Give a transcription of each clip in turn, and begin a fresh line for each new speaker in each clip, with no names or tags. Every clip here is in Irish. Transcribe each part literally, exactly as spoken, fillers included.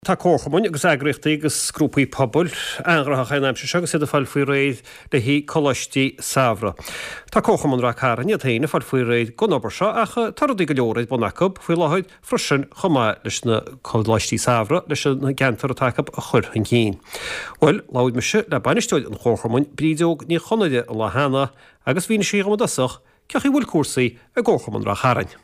Tá comharchumainn agus eagraíochtaí agus grúpaí pobail an-ghnóthach an aimsir seo agus iad ag fáil faoi réir le haghaidh coláistí samhraidh. Tá Comharchumann Ráth Cairn iad féin ag fáil faoi réir don obair seo ach tá rudaí go leor ar bun acu faoi láthair freisin chomh maith leis na coláistí samhraidh leis an gceantar atá acu a chur chun cinn. Bhuel, labhair mise le bainisteoir an Chomharchumainn Brídeog Ní Chonaire an lá cheana agus mhínigh sí dhom i dtosach cén chaoi a bhfuil cúrsaí i gComharchumann Ráth Chairn.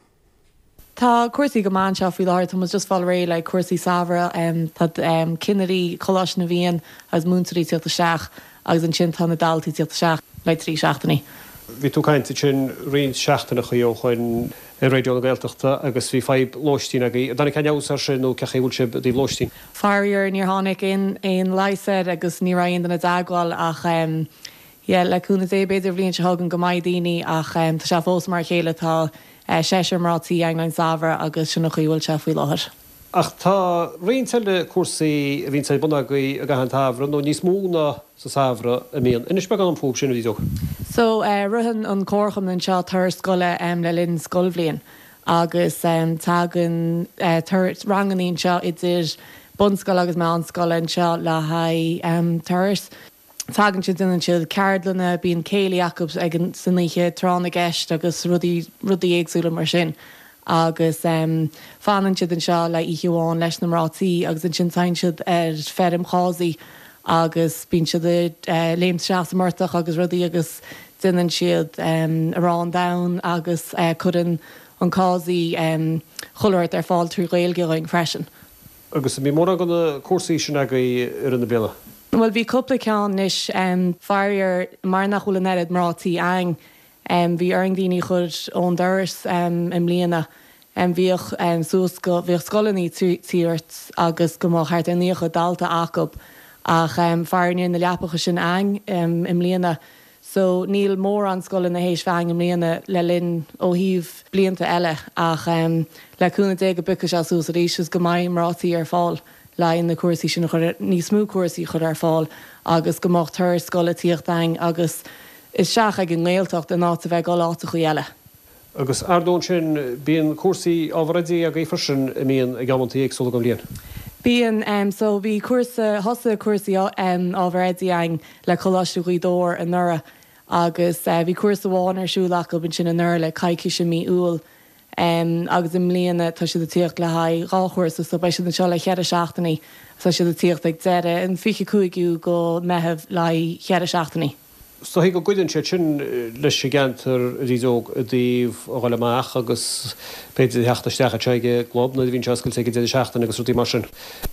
Tá cúrsaí go maith anseo faoi láthair tá just fáil réidh le cúrsaí samhraidh tá cinnirí Choláiste na bhFiann agus múinteoirí ag teacht isteach agus ansin tá na daltaí ag teacht isteach le trí seachtainí.
Bhí tú ag caint ansin roinnt seachtaineacha ó shin ar Raidió na Gaeltachta agus bhí fadhb lóistín agaibh. An dtáinig aon fheabhas air sin nó cén chaoi a bhfuil sibh i dtaobh lóistín?
Faraor níor tháinig aon aon leigheas air agus ní raibh aon duine i dteagmháil ach yeah, le cúnamh Dé b'fhéidir bhliain seo chugainn go mbeidh daoine ach tá sé fós mar a chéile tá seisear mná tí againn an samhradh agus sin an chaoi a bhfuil sé faoi láthair.
Ach tá roinnt eile cúrsaí a bhíonn ar bun agaibh i gcaitheamh an tsamhraidh nó níos mó ná sa samhradh a mbíonn. Inis beagán dom fúthu sin a Bhrídeog.
So uh, ritheann an comharchumann anseo turas scoile um, le linn scoilbhliain agus um, tagann uh, ranganna anseo idir bunscoil agus meánscoil anseo le haghaidh um, turas. Tagann siad déanann siad ceardlanna bíonn céilí acu ag an san oíche tráth na gceist agus rudaí rudaí éagsúla mar sin. agus um, fanann siad anseo le oíche amháin leis na mná tí agus ansin téann siad ar feirm Chásaí agus bíonn siad uh, léimt isteach sa mportach agus rudaí agus déanann siad um, arán donn agus uh, cuireann an Cásaí um, chuile shórt ar fáil trí Ghaeilge againn freisin.
Agus bhí mórán de na cúrsaí sin agaibh i rith na bliana.
Well bhí cúpla ceann anois um, faraor mar nach bhfuil an oiread mná tí againn um, bhí orainn daoine a chur ón doras um, i mbliana. Um, bhíodh um, suas go bhíodh scoileanna ag teacht agus go mbeadh thart ar naocha dalta acu ach um, faraor níl na leapacha sin againn um, i mbliana. So níl mórán scoileanna théis bheith againn i mbliana le linn ó thaobh blianta eile ach um, le cúnamh Dé go bpiocfaidh sé suas arís is go mbeidh mná tí ar fáil le na cúrsaí sin chur níos mó cúrsaí chur ar fáil agus go mbeadh turas scoile ag teacht againn agus isteach ag an nGaeltacht in áit a bheith go áiteacha eile.
Agus ar ndóigh sin bíonn cúrsaí ábhar oidí agaibh freisin a mbíonn ag amantaí éagsúla den bhliain.
Bíonn um, so bhí cúrsa thosaigh cúrsaí um, ábhar oidí againn le Coláiste Ghaoth Dobhair anuraidh agus uh, bhí cúrsa amháin ar siúl acu ansin anuraidh le coicís i mí Iúil. Um, agus i mbliana tá siad ag teacht le haghaidh dhá chúrsa so beidh siad anseo le ceithre seachtainí tá siad ag teacht ag deireadh an fiche cúigiú go Meitheamh le ceithre seachtainí.
So go gcuidíonn sé sin leis an gceantar Bhrídeog i dtaobh a dhul amach agus b'fhéidir theacht isteach ag an gclub nuair a bhíonn sé oscailte ag deireadh seachtaine agus rudaí mar sin.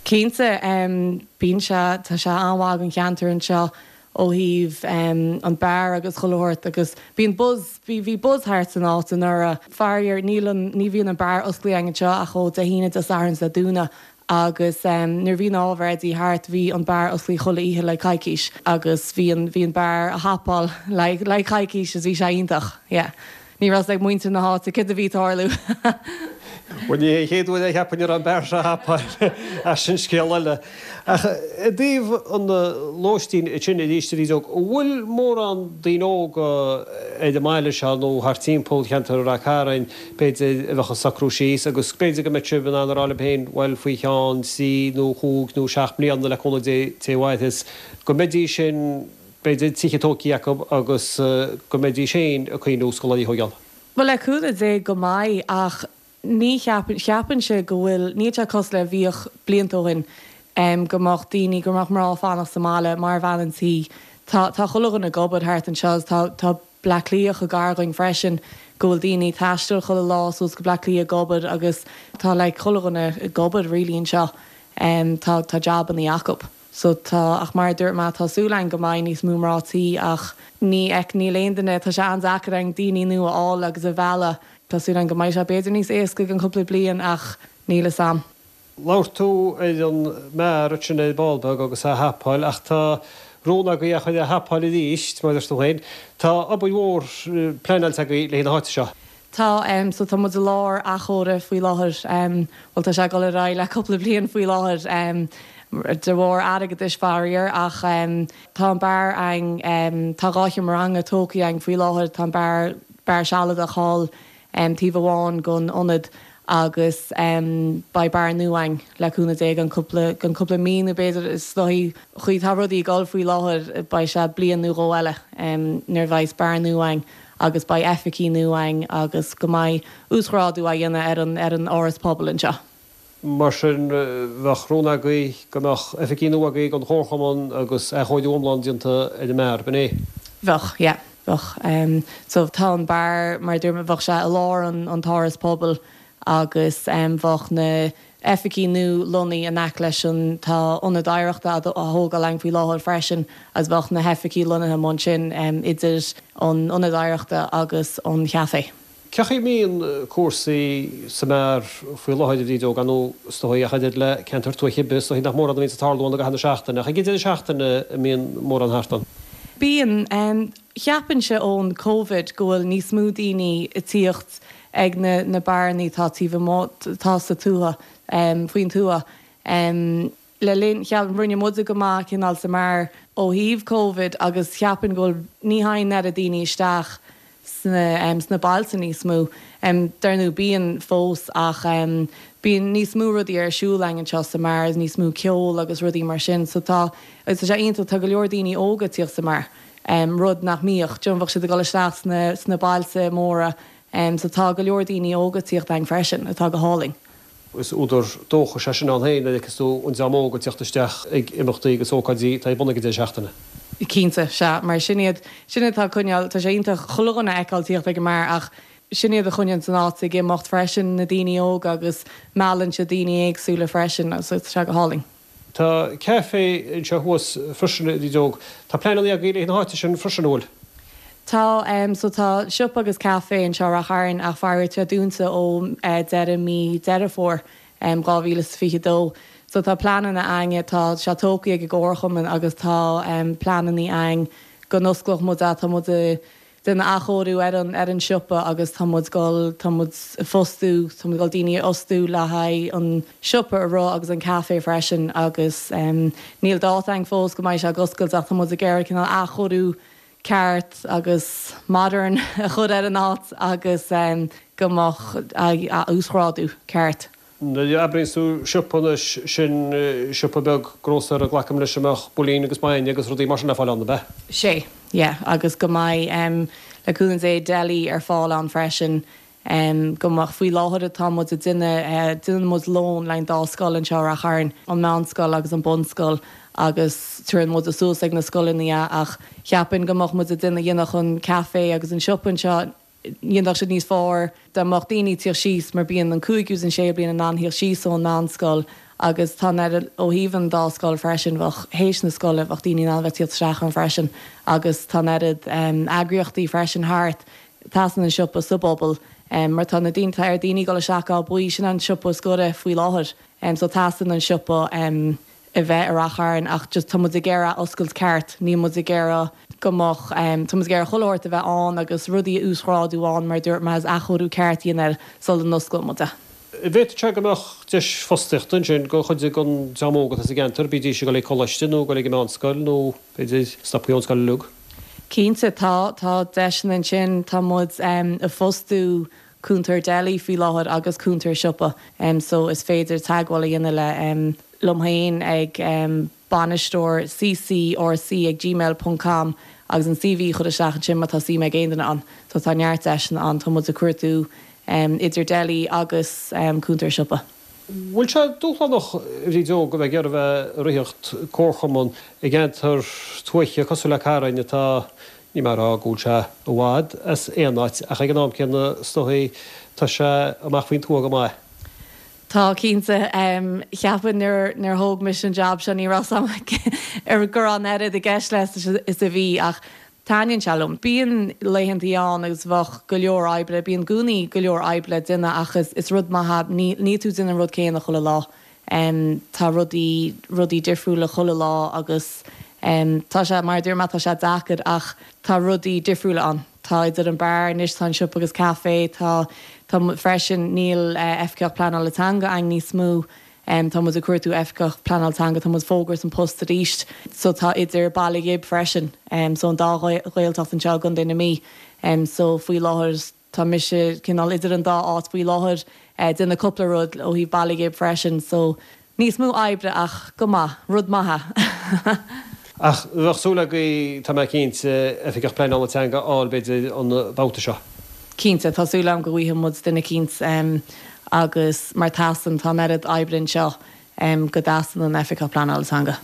Cinnte um, bíonn sé tá sé an-mhaith don cheantar anseo ó thaobh um, an beár agus chuile shórt agus bíonn buzz bhí bhí buzz thart san áit anuraidh faraor níl ní bhíonn an beár oscailte anseo ach ó Dé hAoine Dé Sathairn Dé Domhnaigh agus um, nuair bhí ábhar oidí thart bhí an beár oscailte chuile oíche le coicís agus bhí an bhí an beár ag hapáil le le coicís is bhí sé iontach yeah. Ní raibh ag muintir na háite cad a bhí ag tarlú.
Well ní chéad uair a cheapann ar an beár seo hapáil as sin scéal eile. Ach i dtaobh an lóistín sin arís a Bhrídeog, bhfuil mórán daoine óga ar an mbaile seo nó thart timpeall cheantar Ráth Cairn b'fhéidir a bheadh ag socrú síos agus b'fhéidir go mbeadh sibh in ann a rá libh féin bhuel faoi cheann trí nó cúig nó seacht mbliana le cúnamh Dé té mhaithis go mbeidís sin b'fhéidir tithe tógtha acu agus go mbeidís féin ag cuimhniú scoláirí a thógáil.
Well le cúnamh Dé go mbeidh ach ní cheapann cheapann sé go bhfuil níl sé cosúil le bhíodh blianta ó shin um, go mbeadh daoine go mbeadh mná fanacht sa mbaile mar bhean an tí. Tá tá chuile dhuine ag obair thart anseo tá tá Bleá Cliath gar dúinn freisin go bhfuil daoine ag taisteal chuile lá suas go Bleá Cliath ag obair agus tá le chuile dhuine ag obair really anseo um, tá tá jabanna acu. So tá ach mar dúirt mé tá súil againn go mbeidh níos mó mná tí ach ní ec níl aon duine tá sé an-deacair an daoine nua a fháil agus a mhealladh tá súil againn go mbeidh sé b'fhéidir níos éasca an cúpla bliain ach níl a fhios agam.
Labhair tú ar an mbeár sin ar ball beag agus a hapáil ach tá rún agaibh é a chur ag hapáil arís mar is tú féin. Tá obair mhór pleanáilte agaibh le na háite seo.
Tá um, so tá muid i lár athchóirithe faoi láthair um, well tá sé ag dul ar aghaidh le cúpla bliain faoi láthair um, de bharr airgeadais faraor ach um, tá an beár againn um, tá dhá sheomra ranga tógtha againn faoi láthair tá an beár beár sealadach thall um, taobh amháin den ionad Agus beidh beár nua againn le cúnamh Dé gan cúpla gan cúpla mí nó b'fhéidir is dóichí chaoi tá rudaí ag dul faoi láthair beidh sé bliain nó dhó eile nuair bheidh beár nua againn agus beidh oifigí nua againn agus go mbeidh uasghrádú á dhéanamh ar an ar an áras pobail anseo.
Mar sin bheadh rún agaibh go mbeadh oifigí nua agaibh don chomharchumann agus athchóiriú iomlán déanta ar an mbeár, b'in é?
Bheadh, yeah, bheadh. So tá an beár mar dúirt mé bheadh sé i lár an an t-áras pobail agus bheadh na oifigí nua lonnaithe in aice leis an tá ionad oidhreachta á thógáil againn faoi láthair freisin agus bheadh na hoifigí lonnaithe ansin idir an ionad oidhreachta agus an café.
Cén chaoi a mbíonn cúrsaí sa mbeár faoi láthair a Bhrídeog, ar ndóigh is dóigh ach oiread le ceantar tuaithe ar bith, is dóigh nach mórán a bhíonn ag tarlú ann i gcaitheamh na seachtaine, ach ag an deireadh seachtaine an mbíonn mórán thart ann.
Bíonn. Cheapfainnse ón Covid go bhfuil níos mó daoine ag tíocht ag na na beáranna atá taobh amuigh, atá sa tuath, faoin tuath. Le linn, cheap, rinne muide go maith cineál sa mbeár ó thaobh Covid agus cheapfainn go bhfuil, ní thagann oiread daoine isteach sna sna bailte níos mó. Dar ndóigh bíonn fós ach bíonn níos mó rudaí ar siúl againn anseo sa mbeár, níos mó ceol agus rudaí mar sin. So tá, agus tá sé iontach, tá go leor daoine óga ag tíocht sa mbeár, rud nach mbíodh, do you know, bheadh siad ag dul isteach sna sna bailte móra. So tá go leor daoine óga ag tíocht againn freisin, atá go hálainn.
Is údar dóchais é sin ann féin nuair a fheiceas tú an dream óg ag teacht isteach ag imeachtaí agus ócáidí atá ar bun ag an deireadh seachtaine.
Cinnte, sea, mar sin iad, sin iad atá ag coinneáil, tá sé iontach chuile dhuine a fheiceáil ag tíocht ag an mbeár ach sin iad a choinníonn an áit ag imeacht freisin, na daoine óga agus meallann siad daoine éagsúla freisin so tá sé go hálainn.
Tá caife anseo thuas freisin, a Bhrídeog. Tá pleananna agaibh le haghaidh na háite sin freisin, an bhfuil?
Tá, so tá siopa agus caife anseo i Rath Chairn ach faraor tá dúnta ó deireadh mí Deireadh Fómhair dhá mhíle is fiche dó. So tá pleananna againn, tá sé tógtha ag an gComharchumann agus tá pleananna againn go n-osclódh muid é, tá muid ag déanamh athchóiriú ar an ar an siopa agus tá muid dul, tá muid ag fostú, tá muid dul daoine a fhostú le haghaidh an siopa a rith agus an caife freisin agus níl dáta againn fós go mbeidh sé ag oscailt ach tá muid ag iarraidh cineál athchóiriú ceart agus modern a chur ar an áit agus go mbeadh a uasghrádú ceart.
Nuair a abraíonns tú siopa anois, sin siopa beag grósaera glacaim leis a mbeadh builín agus bainne agus rudaí mar sin le fáil ann, ab ea?
Sea, yeah, agus go mbeidh le cúnamh Dé deli ar fáil ann freisin. Go mbeadh, faoi láthair atá muid ag déanamh, déanann muid lón le haghaidh an dá scoil anseo i Rath Chairn, an meánscoil agus an bunscoil agus tabharann muid suas ag na scoileanna é ach cheapfainn go mbeadh muid ag déanamh, dhéanfadh an café agus an siopa anseo, dhéanfadh siad níos fearr dá mbeadh daoine ag tíocht síos mar bíonn an cúigiú is an séú bliain in ann thíocht síos ón meánscoil agus tá an oiread ó thaobh an dá scoil freisin, bheadh théis na scoile bheadh daoine in ann a bheith ag tíocht isteach ann freisin agus tá an oiread eagraíochtaí freisin thart. Teastaíonn an siopa sa bpobal mar tá na daoine, tá ar daoine dul isteach go Áth Buí, sin an siopa is gaire faoi láthair. So teastaíonn an siopa a bheith i Rath Chairn ach just tá muid ag iarraidh oscailt ceart, níl muid ag iarraidh go mbeadh, tá muid ag iarraidh chuile shórt a bheith ann agus rudaí a uasghrádú ann mar a dúirt mé agus athchóiriú ceart a dhéanamh air sula n-osclóidh muid é.
Bhféadfadh sé go mbeadh deis fostaíochta ansin do chuid den dream óg atá sa gceantar, bídís ag dul ag coláiste nó ag dul ag an meánscoil nó b'fhéidir stoptha ón scoil uilig.
Cinnte, tá, tá deiseanna ansin. Tá muid ag fostú cúntóir deli faoi láthair agus cúntóir siopa so is féidir teagmháil a dhéanamh le liom féin ag bainisteoir ccrc ag gmail ponc com agus an CV a chur isteach ansin má tá suim ag aon duine ann. So tá neart deiseanna ann, tá muid ag cuartú idir deli agus cúntóir siopa.
Bhfuil sé dúshlánach, a Bhríd Óg, a bheith ag iarraidh a bheith ag ritheacht comharchumann i gceantar tuaithe cosúil le Carn atá, níl mé ag rá go bhfuil sé i bhfad as aon áit, ach ag an am céanna is dóigh tá sé amach faoin tuath go maith.
Tá, cinnte. Cheapfainn nuair nuair thóg mise an jab seo ní raibh a fhios agam go raibh an oiread i gceist leis is a bhí ach Taitníonn sé liom. Bíonn laethantaí ann agus bheadh go leor oibre, bíonn i gcónaí go leor oibre le déanamh ach is is rud maith é, ní níl tú ag déanamh an rud céanna chuile lá. Tá rudaí rudaí difriúla chuile lá agus tá sé, mar a dúirt mé, tá sé deacair ach tá rudaí difriúla ann. Tá idir an beár anois, tá an siopa agus caife, tá tá freisin níl oifigeach pleanála teanga againn níos mó. Tá muid ag cuartú oifigeach pleanála teanga, tá muid ag fógairt an post arís. So tá idir Baile Ghib freisin, so an dá Ghaeltacht anseo i gContae na Mí. So faoi láthair Tá mise cineál idir an dá áit faoi láthair ag déanamh cúpla rud ó thaobh Baile Ghib freisin, so níos mó oibre ach go maith, rud maith.
Ach bheadh súil agaibh, tá mé cinnte, Oifigeach Pleanála Teanga a fháil b'fhéidir an babhta seo.
Cinnte, tá súil agam go bhfaighidh muid duine eicínt agus mar teastaíonn, tá an oiread oibre anseo go dteastaíonn an Oifigeach Pleanála Teanga.